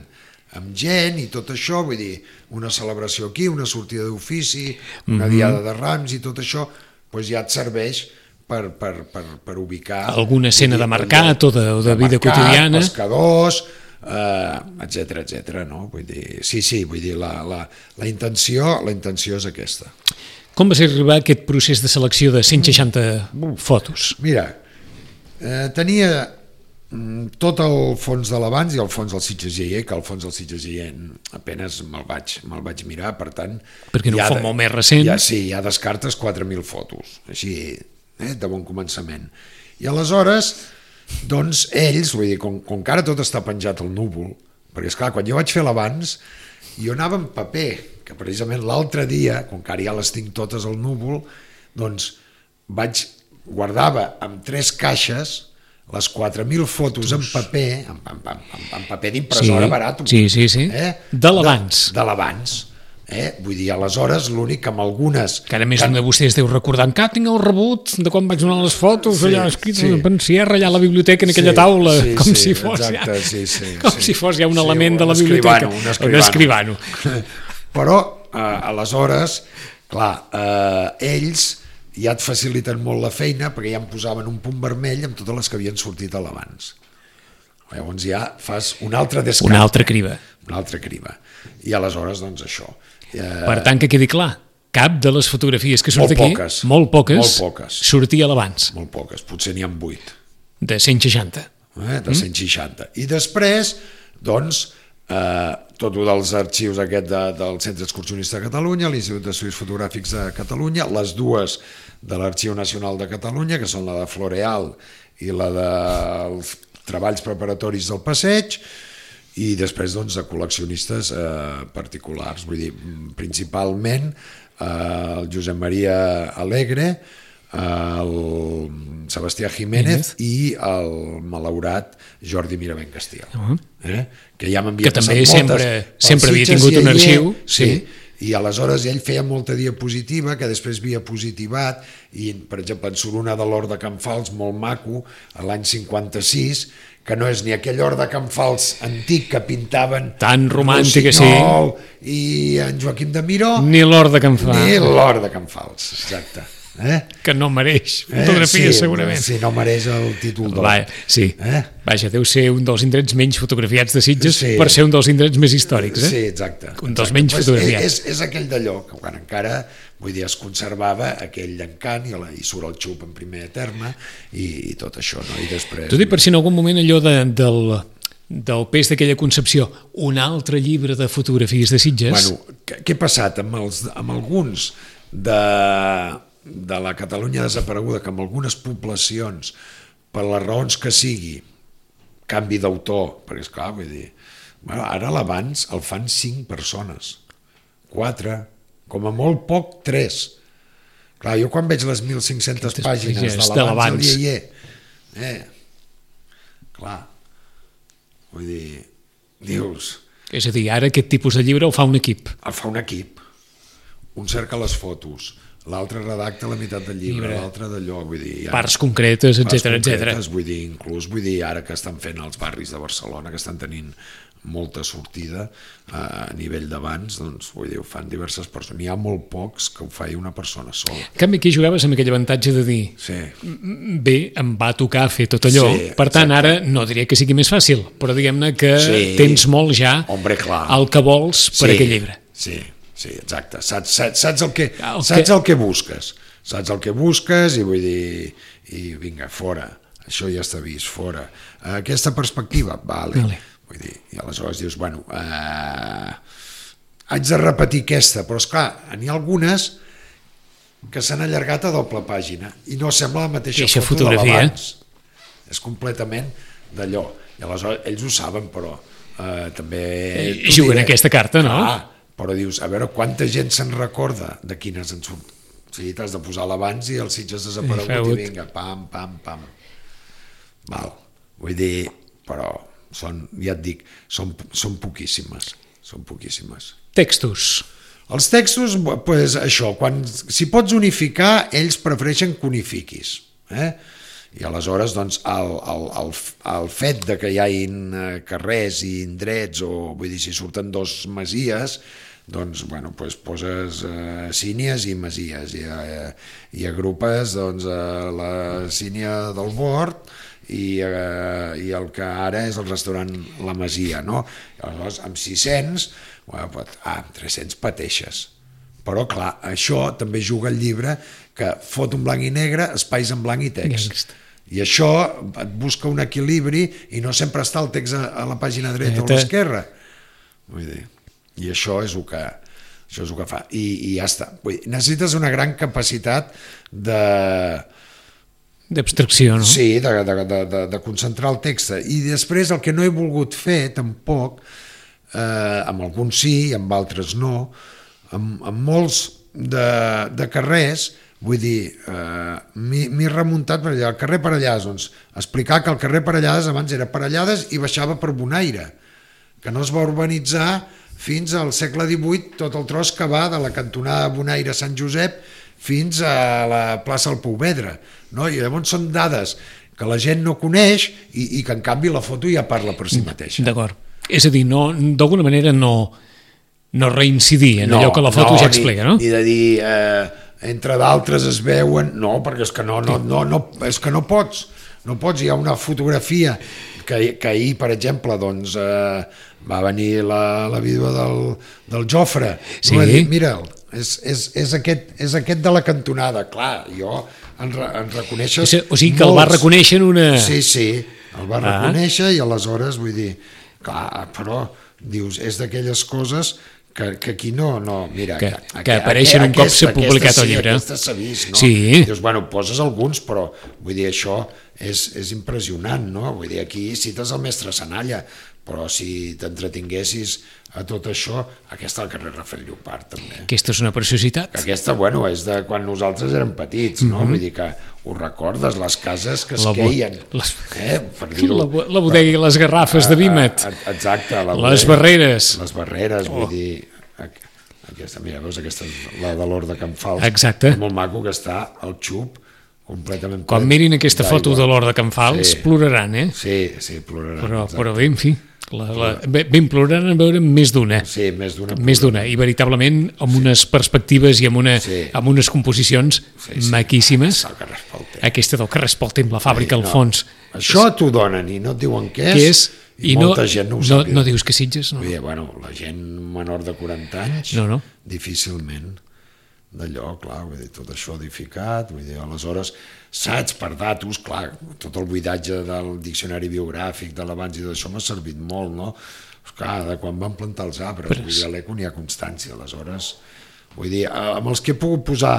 Speaker 3: amb gent i tot això, vull dir, una celebració aquí, una sortida d'ofici, una mm-hmm. diada de Rams i tot això, doncs ja et serveix per, per, per, per ubicar...
Speaker 2: Alguna escena dir, de mercat o de, o de, de vida mercat, quotidiana.
Speaker 3: Pescadors... Uh, etcètera, etcètera, no? Vull dir, sí, sí, vull dir, la, la, la intenció la intenció és aquesta.
Speaker 2: Com va ser arribar a aquest procés de selecció de cent seixanta mm. fotos?
Speaker 3: Mira, eh, tenia mm, tot el fons de l'abans i el fons del Sitges Jaller, que el fons del Sitges Jaller apenes me'l vaig, me'l vaig mirar, per tant...
Speaker 2: Perquè no ho fa
Speaker 3: de,
Speaker 2: molt més recent.
Speaker 3: Ja, sí, ja descartes quatre mil fotos, així, eh, de bon començament. I aleshores... Doncs ells, vull dir, com, com que ara tot està penjat al núvol, perquè esclar, quan jo vaig fer l'abans, jo anava en paper, que precisament l'altre dia, com que ara ja les tinc totes al núvol, doncs vaig, guardava amb tres caixes les quatre mil fotos en paper, en, en, en, en paper d'impressora
Speaker 2: sí,
Speaker 3: barat.
Speaker 2: Sí, sí, sí,
Speaker 3: eh?
Speaker 2: de l'abans.
Speaker 3: De, de l'abans. Eh? Vull dir, aleshores l'únic que amb algunes...
Speaker 2: Que ara més un de vostès deu recordar que tinc el rebut de quan vaig donar les fotos, sí, allà escrit sí. en pensierra, allà a la biblioteca en aquella sí, taula,
Speaker 3: sí,
Speaker 2: com,
Speaker 3: sí,
Speaker 2: si, fos
Speaker 3: exacte,
Speaker 2: ja,
Speaker 3: sí, sí,
Speaker 2: com
Speaker 3: sí.
Speaker 2: si fos ja un
Speaker 3: sí,
Speaker 2: element
Speaker 3: un
Speaker 2: de la biblioteca.
Speaker 3: Un escrivano. Un escrivano. Però, eh, aleshores, clar, eh, ells ja et faciliten molt la feina perquè ja em posaven un punt vermell amb totes les que havien sortit a l'abans. Llavors ja fas un altre descart.
Speaker 2: Una altra criba.
Speaker 3: Una altra criba. I aleshores, doncs, això.
Speaker 2: Per tant, que quedi clar, cap de les fotografies que surt
Speaker 3: molt
Speaker 2: aquí,
Speaker 3: poques,
Speaker 2: molt poques,
Speaker 3: molt poques,
Speaker 2: sortia a l'abans.
Speaker 3: Molt poques, potser n'hi ha vuit.
Speaker 2: De cent seixanta.
Speaker 3: Eh, de cent seixanta. Mm? I després, doncs, eh, tot un dels arxius aquest de, del Centre Excursionista de Catalunya, l'Institut d'Estudis Fotogràfics de Catalunya, les dues de l'Arxiu Nacional de Catalunya, que són la de Floreal i la dels treballs preparatoris del passeig, i després doncs, de col·leccionistes eh, particulars, vull dir, principalment eh, el Josep Maria Alegre, eh, el Sebastià Jiménez i el malaurat Jordi Miravent Castiel, uh -huh. eh? que ja m'havia passat moltes... Que també sempre, sempre havia tingut un arxiu. Sí, sí. I aleshores ell feia molta diapositiva que després havia positivat i, per exemple, en surt una de l'Hort de Can Fals molt maco, a l'any cinquanta-sis, que no és ni aquell Hort de Can Fals antic que pintaven
Speaker 2: tan romàntica, sí,
Speaker 3: i en Joaquim de Miró,
Speaker 2: ni l'Hort de Can Fals,
Speaker 3: ni l'Hort de Can Fals, exacte. Eh?
Speaker 2: Que no mereix fotografia, eh? sí, segurament.
Speaker 3: Sí, no mereix el títol d'or.
Speaker 2: Va, sí. Eh? Vaja, deu ser un dels indrets menys fotografiats de Sitges, sí, per ser un dels indrets més històrics. Eh?
Speaker 3: Sí, exacte.
Speaker 2: Un dels
Speaker 3: exacte.
Speaker 2: menys
Speaker 3: pues
Speaker 2: fotografiats.
Speaker 3: És, és aquell d'allò que quan encara, vull dir, es conservava aquell encant i, la, i surt el xup en primer terme i, i tot això, no? I després...
Speaker 2: T'ho dic per si en algun moment allò de, del... del pes d'aquella concepció, un altre llibre de fotografies de Sitges...
Speaker 3: Bueno, què, què ha passat amb, els, amb alguns de, de la Catalunya desapareguda, que amb algunes poblacions, per les raons que sigui, canvi d'autor, perquè esclar, vull dir, bueno, ara l'abans el fan cinc persones, quatre, com a molt poc, tres. Clar, jo quan veig les mil cinc-centes pàgines de l'abans del Iaier, eh, clar, vull dir, dius...
Speaker 2: És a dir, ara aquest tipus de llibre el fa un equip.
Speaker 3: El fa un equip. Un cerca les fotos, l'altre redacta la meitat del llibre, l'altre d'allò, vull dir... Ja,
Speaker 2: parts concretes, etcètera, etcètera.
Speaker 3: Vull dir, inclús, vull dir, ara que estan fent els barris de Barcelona, que estan tenint molta sortida a nivell d'abans, doncs, vull dir, ho fan diverses persones. N'hi ha molt pocs que ho faci una persona sola.
Speaker 2: En canvi, aquí jugaves amb aquell avantatge de dir
Speaker 3: sí.
Speaker 2: bé, em va tocar fer tot allò, sí, per tant, exacte. Ara no diria que sigui més fàcil, però diguem-ne que sí. tens molt ja
Speaker 3: Hombre, clar.
Speaker 2: el que vols per
Speaker 3: sí.
Speaker 2: aquell llibre.
Speaker 3: Sí, sí, exacte. Saps, saps, saps, el, que, el saps que... el que busques. Saps el que busques i vull dir, i vinga, fora. Això ja està vist, fora. Aquesta perspectiva, vale. vale. Vull dir, i aleshores dius, bueno, eh, haig de repetir aquesta, però esclar, n'hi ha algunes que s'han allargat a doble pàgina i no sembla la mateixa
Speaker 2: Eixa
Speaker 3: foto
Speaker 2: fotografia.
Speaker 3: de l'abans. És completament d'allò. I aleshores ells ho saben, però eh, també...
Speaker 2: I juguen aquesta carta, no?
Speaker 3: Clar, però dius, a veure, quanta gent se'n recorda de quines en surt. O sigui, t'has de posar l'abans i el Sitges desaparegut i vinga, pam, pam, pam. Val, vull dir, però... Són, ja et dic, són, són poquíssimes, són poquíssimes.
Speaker 2: Textos.
Speaker 3: Els textos, pues, això, quan, si pots unificar, ells prefereixen que unifiquis. Eh? I aleshores, doncs, el, el, el, el fet de que hi hagin carrers i indrets, o vull dir, si surten dos masies, doncs, bueno, pues, poses eh, sínies i masies, i, eh, i agrupes, doncs, eh, la sínia del Bord, I, eh, i el que ara és el restaurant La Masia, no? Aleshores, amb sis-cents, bueno, pot, ah, amb tres-cents pateixes. Però, clar, això també juga el llibre que fot un blanc i negre, espais en blanc i text. I això et busca un equilibri i no sempre està el text a, a la pàgina dreta o a l'esquerra. Vull dir, i això és el que, això és el que fa. I, i ja està. Vull dir, necessites una gran capacitat de...
Speaker 2: d'abstracció, no?
Speaker 3: Sí, de, de, de, de, de concentrar el text. I després el que no he volgut fer, tampoc, eh, amb alguns sí i amb altres no, amb, amb molts de, de carrers, vull dir, eh, m'he remuntat per allà, el carrer Parellades, doncs, explicar que el carrer Parellades abans era Parellades i baixava per Bonaire, que no es va urbanitzar fins al segle divuit, tot el tros que va de la cantonada Bonaire-Sant Josep fins a la plaça del Pouvedre, no? I llavors són dades que la gent no coneix i, i que en canvi la foto ja parla per si mateixa.
Speaker 2: D'acord. És a dir, no, d'alguna manera no, no reincidir en no, allò que la foto
Speaker 3: no,
Speaker 2: ja explica, no?
Speaker 3: Ni de dir, eh, entre d'altres es veuen, no, perquè és que no, no, no, no, és que no pots, no pots, hi ha una fotografia que, que ahir, per exemple, doncs, eh, va venir la, la vídua del, del Jofre, sí. Va dir, mira'l, és, és, és, aquest, és aquest de la cantonada, clar, jo en, en reconeixes
Speaker 2: o sigui que molts. El va reconèixer en una...
Speaker 3: Sí, sí, el va ah. reconèixer i aleshores, vull dir, clar, però dius, és d'aquelles coses que, que aquí no, no, mira...
Speaker 2: Que,
Speaker 3: que,
Speaker 2: que apareixen un cop s'ha publicat
Speaker 3: aquesta,
Speaker 2: el llibre.
Speaker 3: Sí, aquesta s'ha vist, no?
Speaker 2: Sí.
Speaker 3: Dius, bueno, poses alguns, però vull dir, això és, és impressionant, no? Vull dir, aquí cites el mestre Sanalla, però si t'entretinguessis a tot això, aquesta al carrer Rafael Llopart, també.
Speaker 2: Aquesta és una preciositat.
Speaker 3: Aquesta, bueno, és de quan nosaltres érem petits, no? Mm-hmm. Vull dir que ho recordes, les cases que es la queien. Les... Eh? Per dir-ho.
Speaker 2: La, la bodega i les garrafes de Vímet.
Speaker 3: Exacte. La
Speaker 2: bodega, les barreres.
Speaker 3: Les barreres, oh. Vull dir... Aquesta, mira, veus, aquesta és la de l'Hort de Can Fals.
Speaker 2: Exacte.
Speaker 3: És molt maco que està al xup completament...
Speaker 2: Quan mirin aquesta foto de l'Hort de Can Fals, sí. Ploraran, eh?
Speaker 3: Sí, sí, ploraran.
Speaker 2: Però, però bé, en fi... La, la, ben ploraran a veure més d'una.
Speaker 3: Sí, més d'una.
Speaker 2: Més d'una, i veritablement amb sí. unes perspectives i amb, una,
Speaker 3: sí.
Speaker 2: amb unes composicions sí, sí. maquíssimes. Aquesta del carrer Espoltem, la fàbrica sí, no. al fons.
Speaker 3: Això t'ho donen i no et diuen què és,
Speaker 2: què és
Speaker 3: i, i molta no, gent no ho
Speaker 2: no,
Speaker 3: sap.
Speaker 2: No dius que Sitges, no?
Speaker 3: Dir, bueno, la gent menor de quaranta anys,
Speaker 2: no, no.
Speaker 3: difícilment d'allò, clar, vull dir, tot això edificat, vull dir, aleshores, saps, per datos, clar, tot el buidatge del diccionari biogràfic de l'abans i d'això m'ha servit molt, no? Clar, de quan van plantar els arbres, Però... vull dir, a l'Eco n'hi ha constància, aleshores, vull dir, amb els que he pogut posar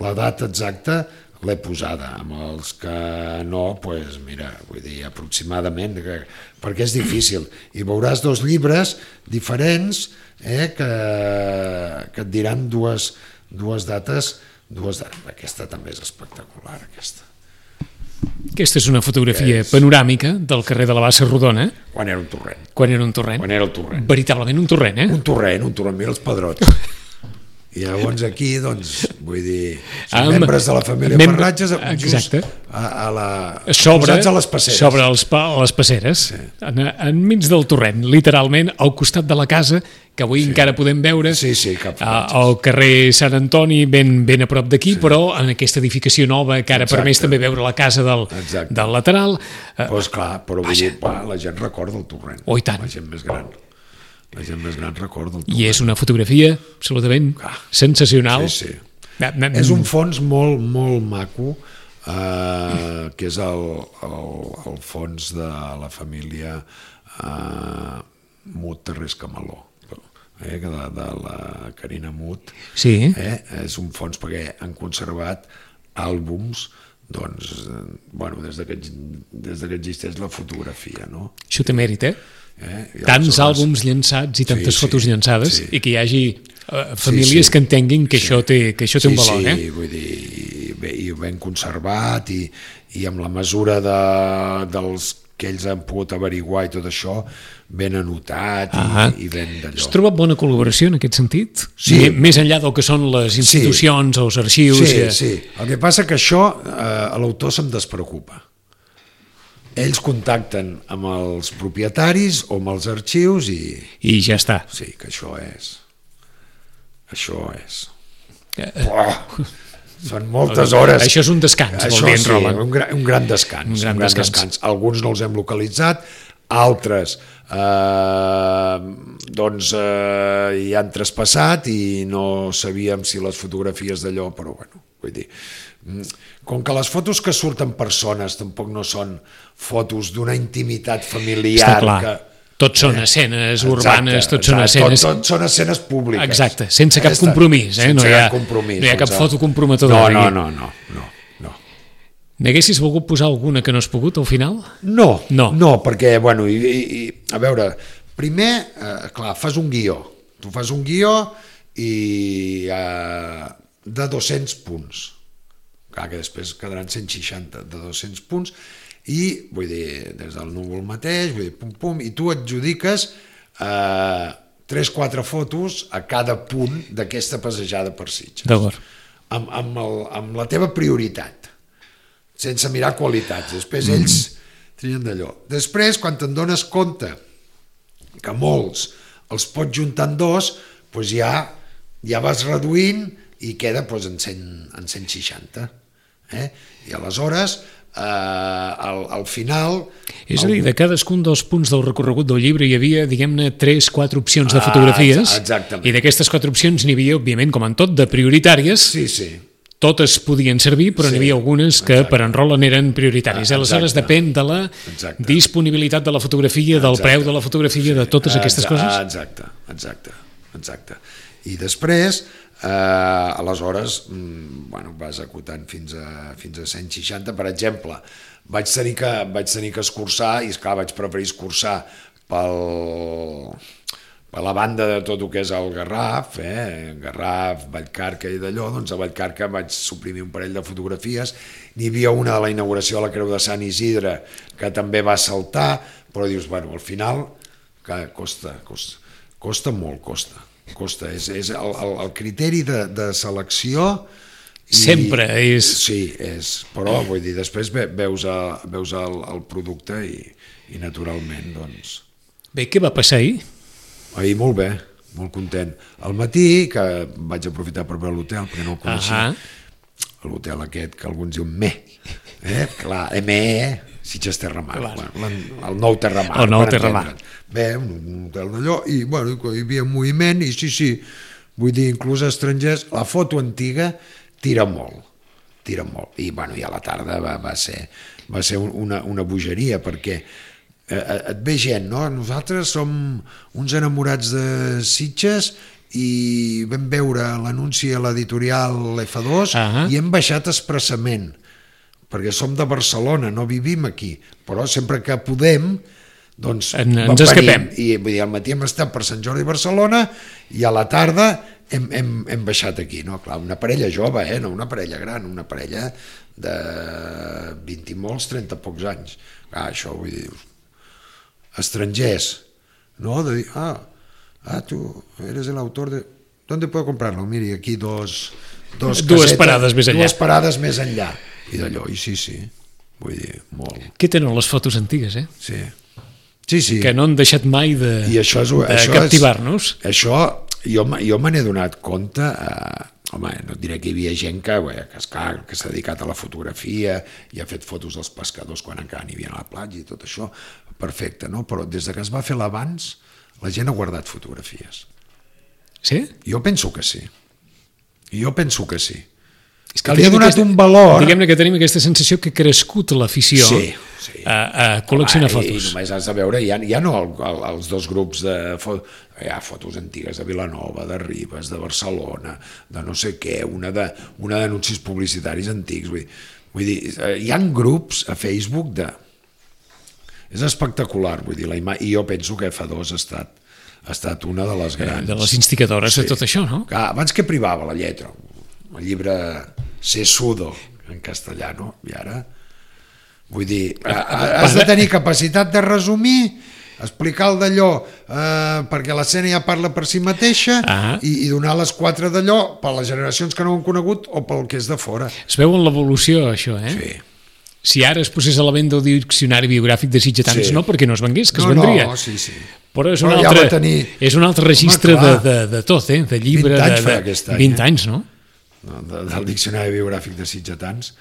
Speaker 3: la data exacta, l'he posada. Amb els que no, pues, mira, vull dir, aproximadament, que, perquè és difícil. I veuràs dos llibres diferents eh, que, que et diran dues, dues dates, dues dates. Aquesta també és espectacular, aquesta.
Speaker 2: Aquesta és una fotografia
Speaker 3: és...
Speaker 2: panoràmica del carrer de la Bassa Rodona.
Speaker 3: Quan era un torrent.
Speaker 2: Quan era un torrent.
Speaker 3: Quan era el torrent.
Speaker 2: Veritablement un torrent, eh?
Speaker 3: Un torrent, un torrent, mira els pedrots. I llavors aquí, doncs, vull dir, són
Speaker 2: Amb,
Speaker 3: membres de la família
Speaker 2: mem
Speaker 3: Farratges just
Speaker 2: exacte.
Speaker 3: a, a la,
Speaker 2: sobre,
Speaker 3: posats a les passeres.
Speaker 2: Sobre els, les passeres, sí. en, enmig del torrent, literalment, al costat de la casa, que avui sí. encara podem veure,
Speaker 3: sí, sí, cap
Speaker 2: al carrer Sant Antoni, ben, ben a prop d'aquí, sí. però en aquesta edificació nova, que ara Exacte. permès també veure la casa del, del lateral.
Speaker 3: Doncs clar, però vull dir, va, la gent recorda el torrent.
Speaker 2: Oh, i tant.
Speaker 3: La gent més gran. La gent més gran recorda el torrent.
Speaker 2: I és una fotografia absolutament ah, sensacional.
Speaker 3: Sí, sí. És un fons molt, molt maco, eh, que és el, el, el fons de la família eh, Mut Terrés Camaló, eh, de, de la Carina Mut.
Speaker 2: Sí.
Speaker 3: Eh, és un fons perquè han conservat àlbums doncs, bueno, des que, des que existeix la fotografia, no?
Speaker 2: Això té mèrit, eh?
Speaker 3: Eh?
Speaker 2: Tants àlbums llançats i tantes
Speaker 3: sí,
Speaker 2: fotos
Speaker 3: sí,
Speaker 2: llançades
Speaker 3: sí.
Speaker 2: i que hi hagi uh, famílies sí, sí. que entenguin que, sí. això té, que això té
Speaker 3: sí,
Speaker 2: un valor.
Speaker 3: Sí,
Speaker 2: eh?
Speaker 3: vull dir, bé, i ben conservat i, i amb la mesura de, dels que ells han pogut averiguar i tot això, ben anotat i,
Speaker 2: ah,
Speaker 3: i ben d'allò.
Speaker 2: Has trobat bona col·laboració en aquest sentit?
Speaker 3: Sí.
Speaker 2: Més enllà del que són les institucions
Speaker 3: sí.
Speaker 2: o els arxius?
Speaker 3: Sí,
Speaker 2: i...
Speaker 3: sí. El que passa que això eh, a l'autor se'm despreocupa. Ells contacten amb els propietaris o amb els arxius i...
Speaker 2: I ja està.
Speaker 3: Sí, que això és... Això és...
Speaker 2: Eh,
Speaker 3: oh, són moltes hores.
Speaker 2: Això és un descans,
Speaker 3: això,
Speaker 2: vol dir en
Speaker 3: sí,
Speaker 2: Roland.
Speaker 3: Un, gran, un gran descans.
Speaker 2: Un gran,
Speaker 3: un gran
Speaker 2: descans.
Speaker 3: descans. Alguns no els hem localitzat, altres eh, doncs eh, hi han traspassat i no sabíem si les fotografies d'allò, però bueno, vull dir... Com que les fotos que surten persones tampoc no són fotos d'una intimitat familiar...
Speaker 2: Està clar.
Speaker 3: Que,
Speaker 2: tots són eh? escenes
Speaker 3: exacte,
Speaker 2: urbanes, tots
Speaker 3: exacte,
Speaker 2: són escenes...
Speaker 3: Tot, tot són escenes públiques.
Speaker 2: Exacte, sense cap
Speaker 3: Esta,
Speaker 2: compromís, eh?
Speaker 3: Sense
Speaker 2: no, hi ha,
Speaker 3: cap compromís,
Speaker 2: no hi ha cap
Speaker 3: sense...
Speaker 2: foto comprometedora.
Speaker 3: No, no, no, no, no, no.
Speaker 2: N'haguessis volgut posar alguna que no has pogut al final?
Speaker 3: No,
Speaker 2: no,
Speaker 3: no perquè, bueno, i, i, a veure, primer, eh, clar, fas un guió. Tu fas un guió i eh, de dos-cents punts. Clar, que després quedaran cent seixanta de dos-cents punts i, vull dir, des del núvol mateix, vull dir, pum, pum, i tu adjudiques eh, tres quatre fotos a cada punt d'aquesta passejada per Sitges.
Speaker 2: D'acord.
Speaker 3: Amb, amb, el, amb la teva prioritat, sense mirar qualitats. Després mm. ells trien d'allò. Després, quan te'n dones compte que molts els pots juntar en dos, doncs ja, ja vas reduint i queda doncs, en, cent, en cent seixanta. Eh? I aleshores eh, al, al final
Speaker 2: és a dir, de cadascun dels punts del recorregut del llibre hi havia, diguem-ne, tres, quatre opcions de fotografies
Speaker 3: ah,
Speaker 2: i d'aquestes quatre opcions n'hi havia, òbviament, com en tot, de prioritàries.
Speaker 3: Sí, sí.
Speaker 2: Totes podien servir, però sí, n'hi havia algunes que exacte. Per en Roland eren prioritàries. Ah, aleshores depèn de la exacte. Disponibilitat de la fotografia, del exacte. Preu de la fotografia, sí. De totes exacte. Aquestes coses.
Speaker 3: Exacte, exacte, exacte. I després Eh, aleshores bueno, vas acotant fins a, fins a cent seixanta. Per exemple, vaig tenir que, vaig tenir que escurçar, i esclar, vaig preferir escurçar pel, per la banda de tot el que és el Garraf, eh? Garraf, Vallcarca i d'allò. Doncs a Vallcarca vaig suprimir un parell de fotografies. N'hi havia una de la inauguració de la Creu de Sant Isidre que també va saltar, però dius, bueno, al final que costa, costa, costa molt, costa. Costa, és, és el, el, el criteri de, de selecció
Speaker 2: i, sempre és...
Speaker 3: Sí, és, però vull dir, després ve, veus, a, veus el, el producte i, i naturalment doncs...
Speaker 2: Bé, què va passar ahir?
Speaker 3: Ahir molt bé, molt content. Al matí, que vaig aprofitar per veure l'hotel perquè no el coneixia, uh-huh. L'hotel aquest que alguns diuen me, eh? Clar, M E Sitges Terramar, bueno, el nou Terramar.
Speaker 2: El nou Terramar.
Speaker 3: Bé, un hotel d'allò, i bueno, hi havia moviment, i sí, sí, vull dir, inclús estrangers, la foto antiga tira molt, tira molt. I bueno, i a la tarda va, va ser, va ser una, una bogeria, perquè eh, et ve gent, no? Nosaltres som uns enamorats de Sitges i vam veure l'anunci a l'editorial F dos
Speaker 2: uh-huh.
Speaker 3: i hem baixat expressament, perquè som de Barcelona, no vivim aquí, però sempre que podem doncs
Speaker 2: en, ens escapem.
Speaker 3: I vull dir, al matí hem estat per Sant Jordi i Barcelona i a la tarda hem, hem, hem baixat aquí, no? Clar, una parella jove, eh? No una parella gran, una parella de vint i molts, trenta pocs anys. Ah, això vull dir, estrangers, no? De dir, ah, ah, tu eres el autor de... ¿Dónde puedo comprarlo? Miri, aquí dos... dos
Speaker 2: dues
Speaker 3: casetes,
Speaker 2: parades més enllà.
Speaker 3: Dues parades més enllà. I d'allò, i sí, sí, vull dir, molt.
Speaker 2: Què tenen les fotos antigues, eh?
Speaker 3: Sí. Sí, sí.
Speaker 2: Que no han deixat mai de,
Speaker 3: I això és,
Speaker 2: de
Speaker 3: això
Speaker 2: captivar-nos.
Speaker 3: És, això, jo, jo me n'he donat compte, eh, home, no et diré que hi havia gent que, bé, que, esclar, que s'ha dedicat a la fotografia i ha fet fotos dels pescadors quan encara n'hi havia a la platja i tot això, perfecte, no? Però des de que es va fer l'abans, la gent ha guardat fotografies.
Speaker 2: Sí?
Speaker 3: Jo penso que sí. Jo penso que sí.
Speaker 2: És
Speaker 3: que li ha donat aquesta, un valor...
Speaker 2: Diguem-ne que tenim aquesta sensació que ha crescut l'afició
Speaker 3: sí, sí.
Speaker 2: a, a col·leccionar
Speaker 3: Home,
Speaker 2: fotos.
Speaker 3: I només has de veure, ja, ja no el, el, els dos grups de... Hi ha fotos antigues de Vilanova, de Ribes, de Barcelona, de no sé què, una de, una d'anuncis publicitaris antics. Vull dir, vull dir, hi ha grups a Facebook de... És espectacular, vull dir, la ima... i jo penso que F dos ha estat, ha estat una de les grans...
Speaker 2: De les instigradores sí. de tot això, no?
Speaker 3: Que abans que privava la lletra, el llibre Sesudo, en castellà, no? I ara, vull dir, has de tenir capacitat de resumir, explicar el d'allò, eh, perquè l'escena ja parla per si mateixa, uh-huh. i, i donar les quatre d'allò per les generacions que no ho han conegut o pel que és de fora.
Speaker 2: Es veu en l'evolució, això, eh?
Speaker 3: Sí.
Speaker 2: Si ara es posés a la venda el diccionari biogràfic de sitgetans, sí. no perquè no es vengués, que
Speaker 3: no,
Speaker 2: es vendria.
Speaker 3: No, sí, sí.
Speaker 2: Però és un,
Speaker 3: Però
Speaker 2: altre,
Speaker 3: ja tenir...
Speaker 2: és un altre registre de, de, de tot, eh? De llibre,
Speaker 3: vint anys
Speaker 2: de,
Speaker 3: de,
Speaker 2: de, vint
Speaker 3: any,
Speaker 2: anys, no?
Speaker 3: De, del diccionari biogràfic de sitgetans.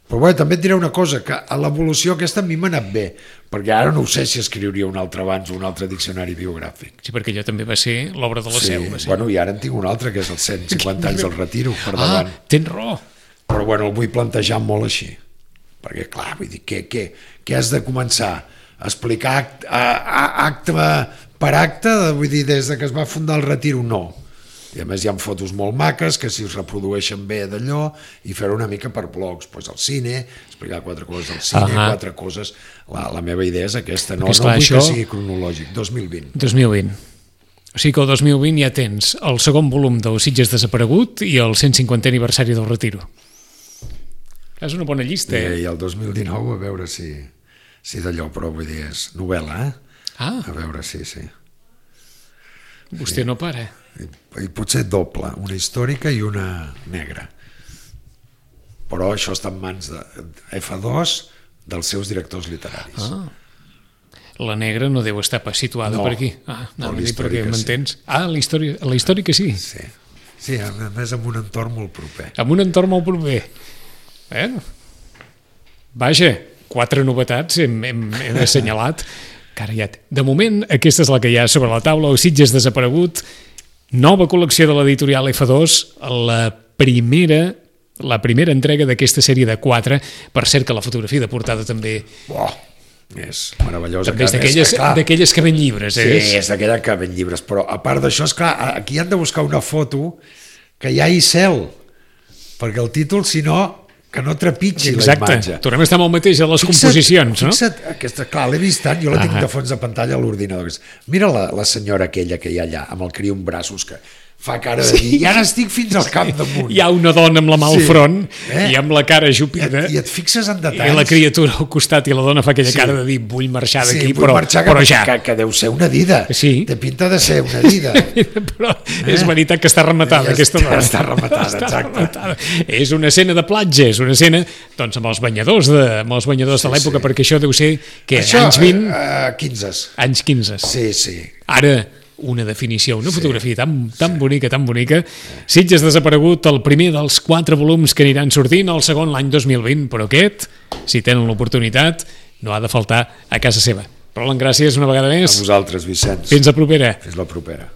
Speaker 3: Però bé, també et diré una cosa, que a l'evolució aquesta a mi m'ha anat bé, perquè ara no ho sé si escriuria un altre abans o un altre diccionari biogràfic.
Speaker 2: Sí, perquè allò també va ser l'obra de la
Speaker 3: sí,
Speaker 2: Seu. Va ser.
Speaker 3: Bueno, i ara en tinc un altre, que és els cent cinquanta anys del Retiro, per davant.
Speaker 2: Ah, tens raó.
Speaker 3: Però bueno, el vull plantejar molt així, perquè clar, vull dir, què, què, què has de començar? A explicar acte, acte per acte, vull dir, des de que es va fundar el Retiro, no. I a més hi ha fotos molt maques que si es reprodueixen bé d'allò i fer una mica per blogs, doncs el cine, explicar quatre coses del cine, uh-huh. quatre coses, la, la meva idea és aquesta, no, no vull això... que sigui cronològic, dos mil vint.
Speaker 2: dos mil vint. O sigui que el dos mil vint ja tens el segon volum del Sitges desaparegut i el cent cinquantè aniversari del Retiro. És una bona llista, eh?
Speaker 3: I, i el dos mil dinou a veure si, si d'allò, però vull dir, és novel·la, eh?
Speaker 2: Ah.
Speaker 3: A veure, sí, sí.
Speaker 2: Vostè sí. no para.
Speaker 3: I, I potser doble, una històrica i una negra. Però això està en mans de F dos, dels seus directors literaris.
Speaker 2: Ah. La negra no deu estar pas situada
Speaker 3: no,
Speaker 2: per aquí. Ah, no,
Speaker 3: no
Speaker 2: perquè m'entens.
Speaker 3: Sí.
Speaker 2: Ah, la història, la històrica sí.
Speaker 3: Sí, sí, a més amb un entorn molt proper.
Speaker 2: Amb un entorn molt proper. Eh? Vaja, quatre novetats hem, hem, hem assenyalat. Carallat. De moment, aquesta és la que hi ha sobre la taula, el Sitges desaparegut, nova col·lecció de l'editorial F dos, la primera, la primera entrega d'aquesta sèrie de quatre, per cert que la fotografia de portada també...
Speaker 3: Oh, és meravellosa.
Speaker 2: També és d'aquelles que, d'aquelles que ven llibres, eh?
Speaker 3: Sí, és d'aquelles que ven llibres, però a part d'això, és clar, aquí han de buscar una foto que hi hagi cel, perquè el títol, si no... que no trepitgi
Speaker 2: exacte.
Speaker 3: La imatge.
Speaker 2: Tornem a estar amb el mateix a les fixa't, composicions, no?
Speaker 3: Fixa't, aquesta, clar, l'he vist tant, jo la tinc ah. de fons de pantalla a l'ordinador. Mira la, la senyora aquella que hi ha allà, amb el criu en braços, que fa cara de dir, ja n'estic fins al cap damunt.
Speaker 2: Hi ha una dona amb la mà al sí. front eh? i amb la cara ajupida.
Speaker 3: I et, i et fixes en detalls.
Speaker 2: I la criatura al costat i la dona fa aquella sí. cara de dir, vull marxar d'aquí, sí, però,
Speaker 3: marxar
Speaker 2: però
Speaker 3: que,
Speaker 2: ja.
Speaker 3: Que, que deu ser una dida. Sí. Té pinta de ser una dida.
Speaker 2: Però eh? és veritat que està rematada,
Speaker 3: ja
Speaker 2: aquesta dona.
Speaker 3: Està rematada,
Speaker 2: està
Speaker 3: exacte.
Speaker 2: Rematada. És una escena de platja, és una escena doncs, amb els banyadors de, amb els banyadors sí, de l'època, sí. perquè això deu ser que
Speaker 3: això,
Speaker 2: anys vint...
Speaker 3: Uh, quinze.
Speaker 2: Anys quinze.
Speaker 3: Sí, sí.
Speaker 2: Ara... una definició, una sí, fotografia tan, tan sí. bonica, tan bonica. Sitges desaparegut, el primer dels quatre volums que aniran sortint, el segon l'any dos mil vint, però aquest, si tenen l'oportunitat, no ha de faltar a casa seva. Roland, gràcies una vegada més.
Speaker 3: A vosaltres, Vicenç.
Speaker 2: Fins la propera.
Speaker 3: Fins la propera.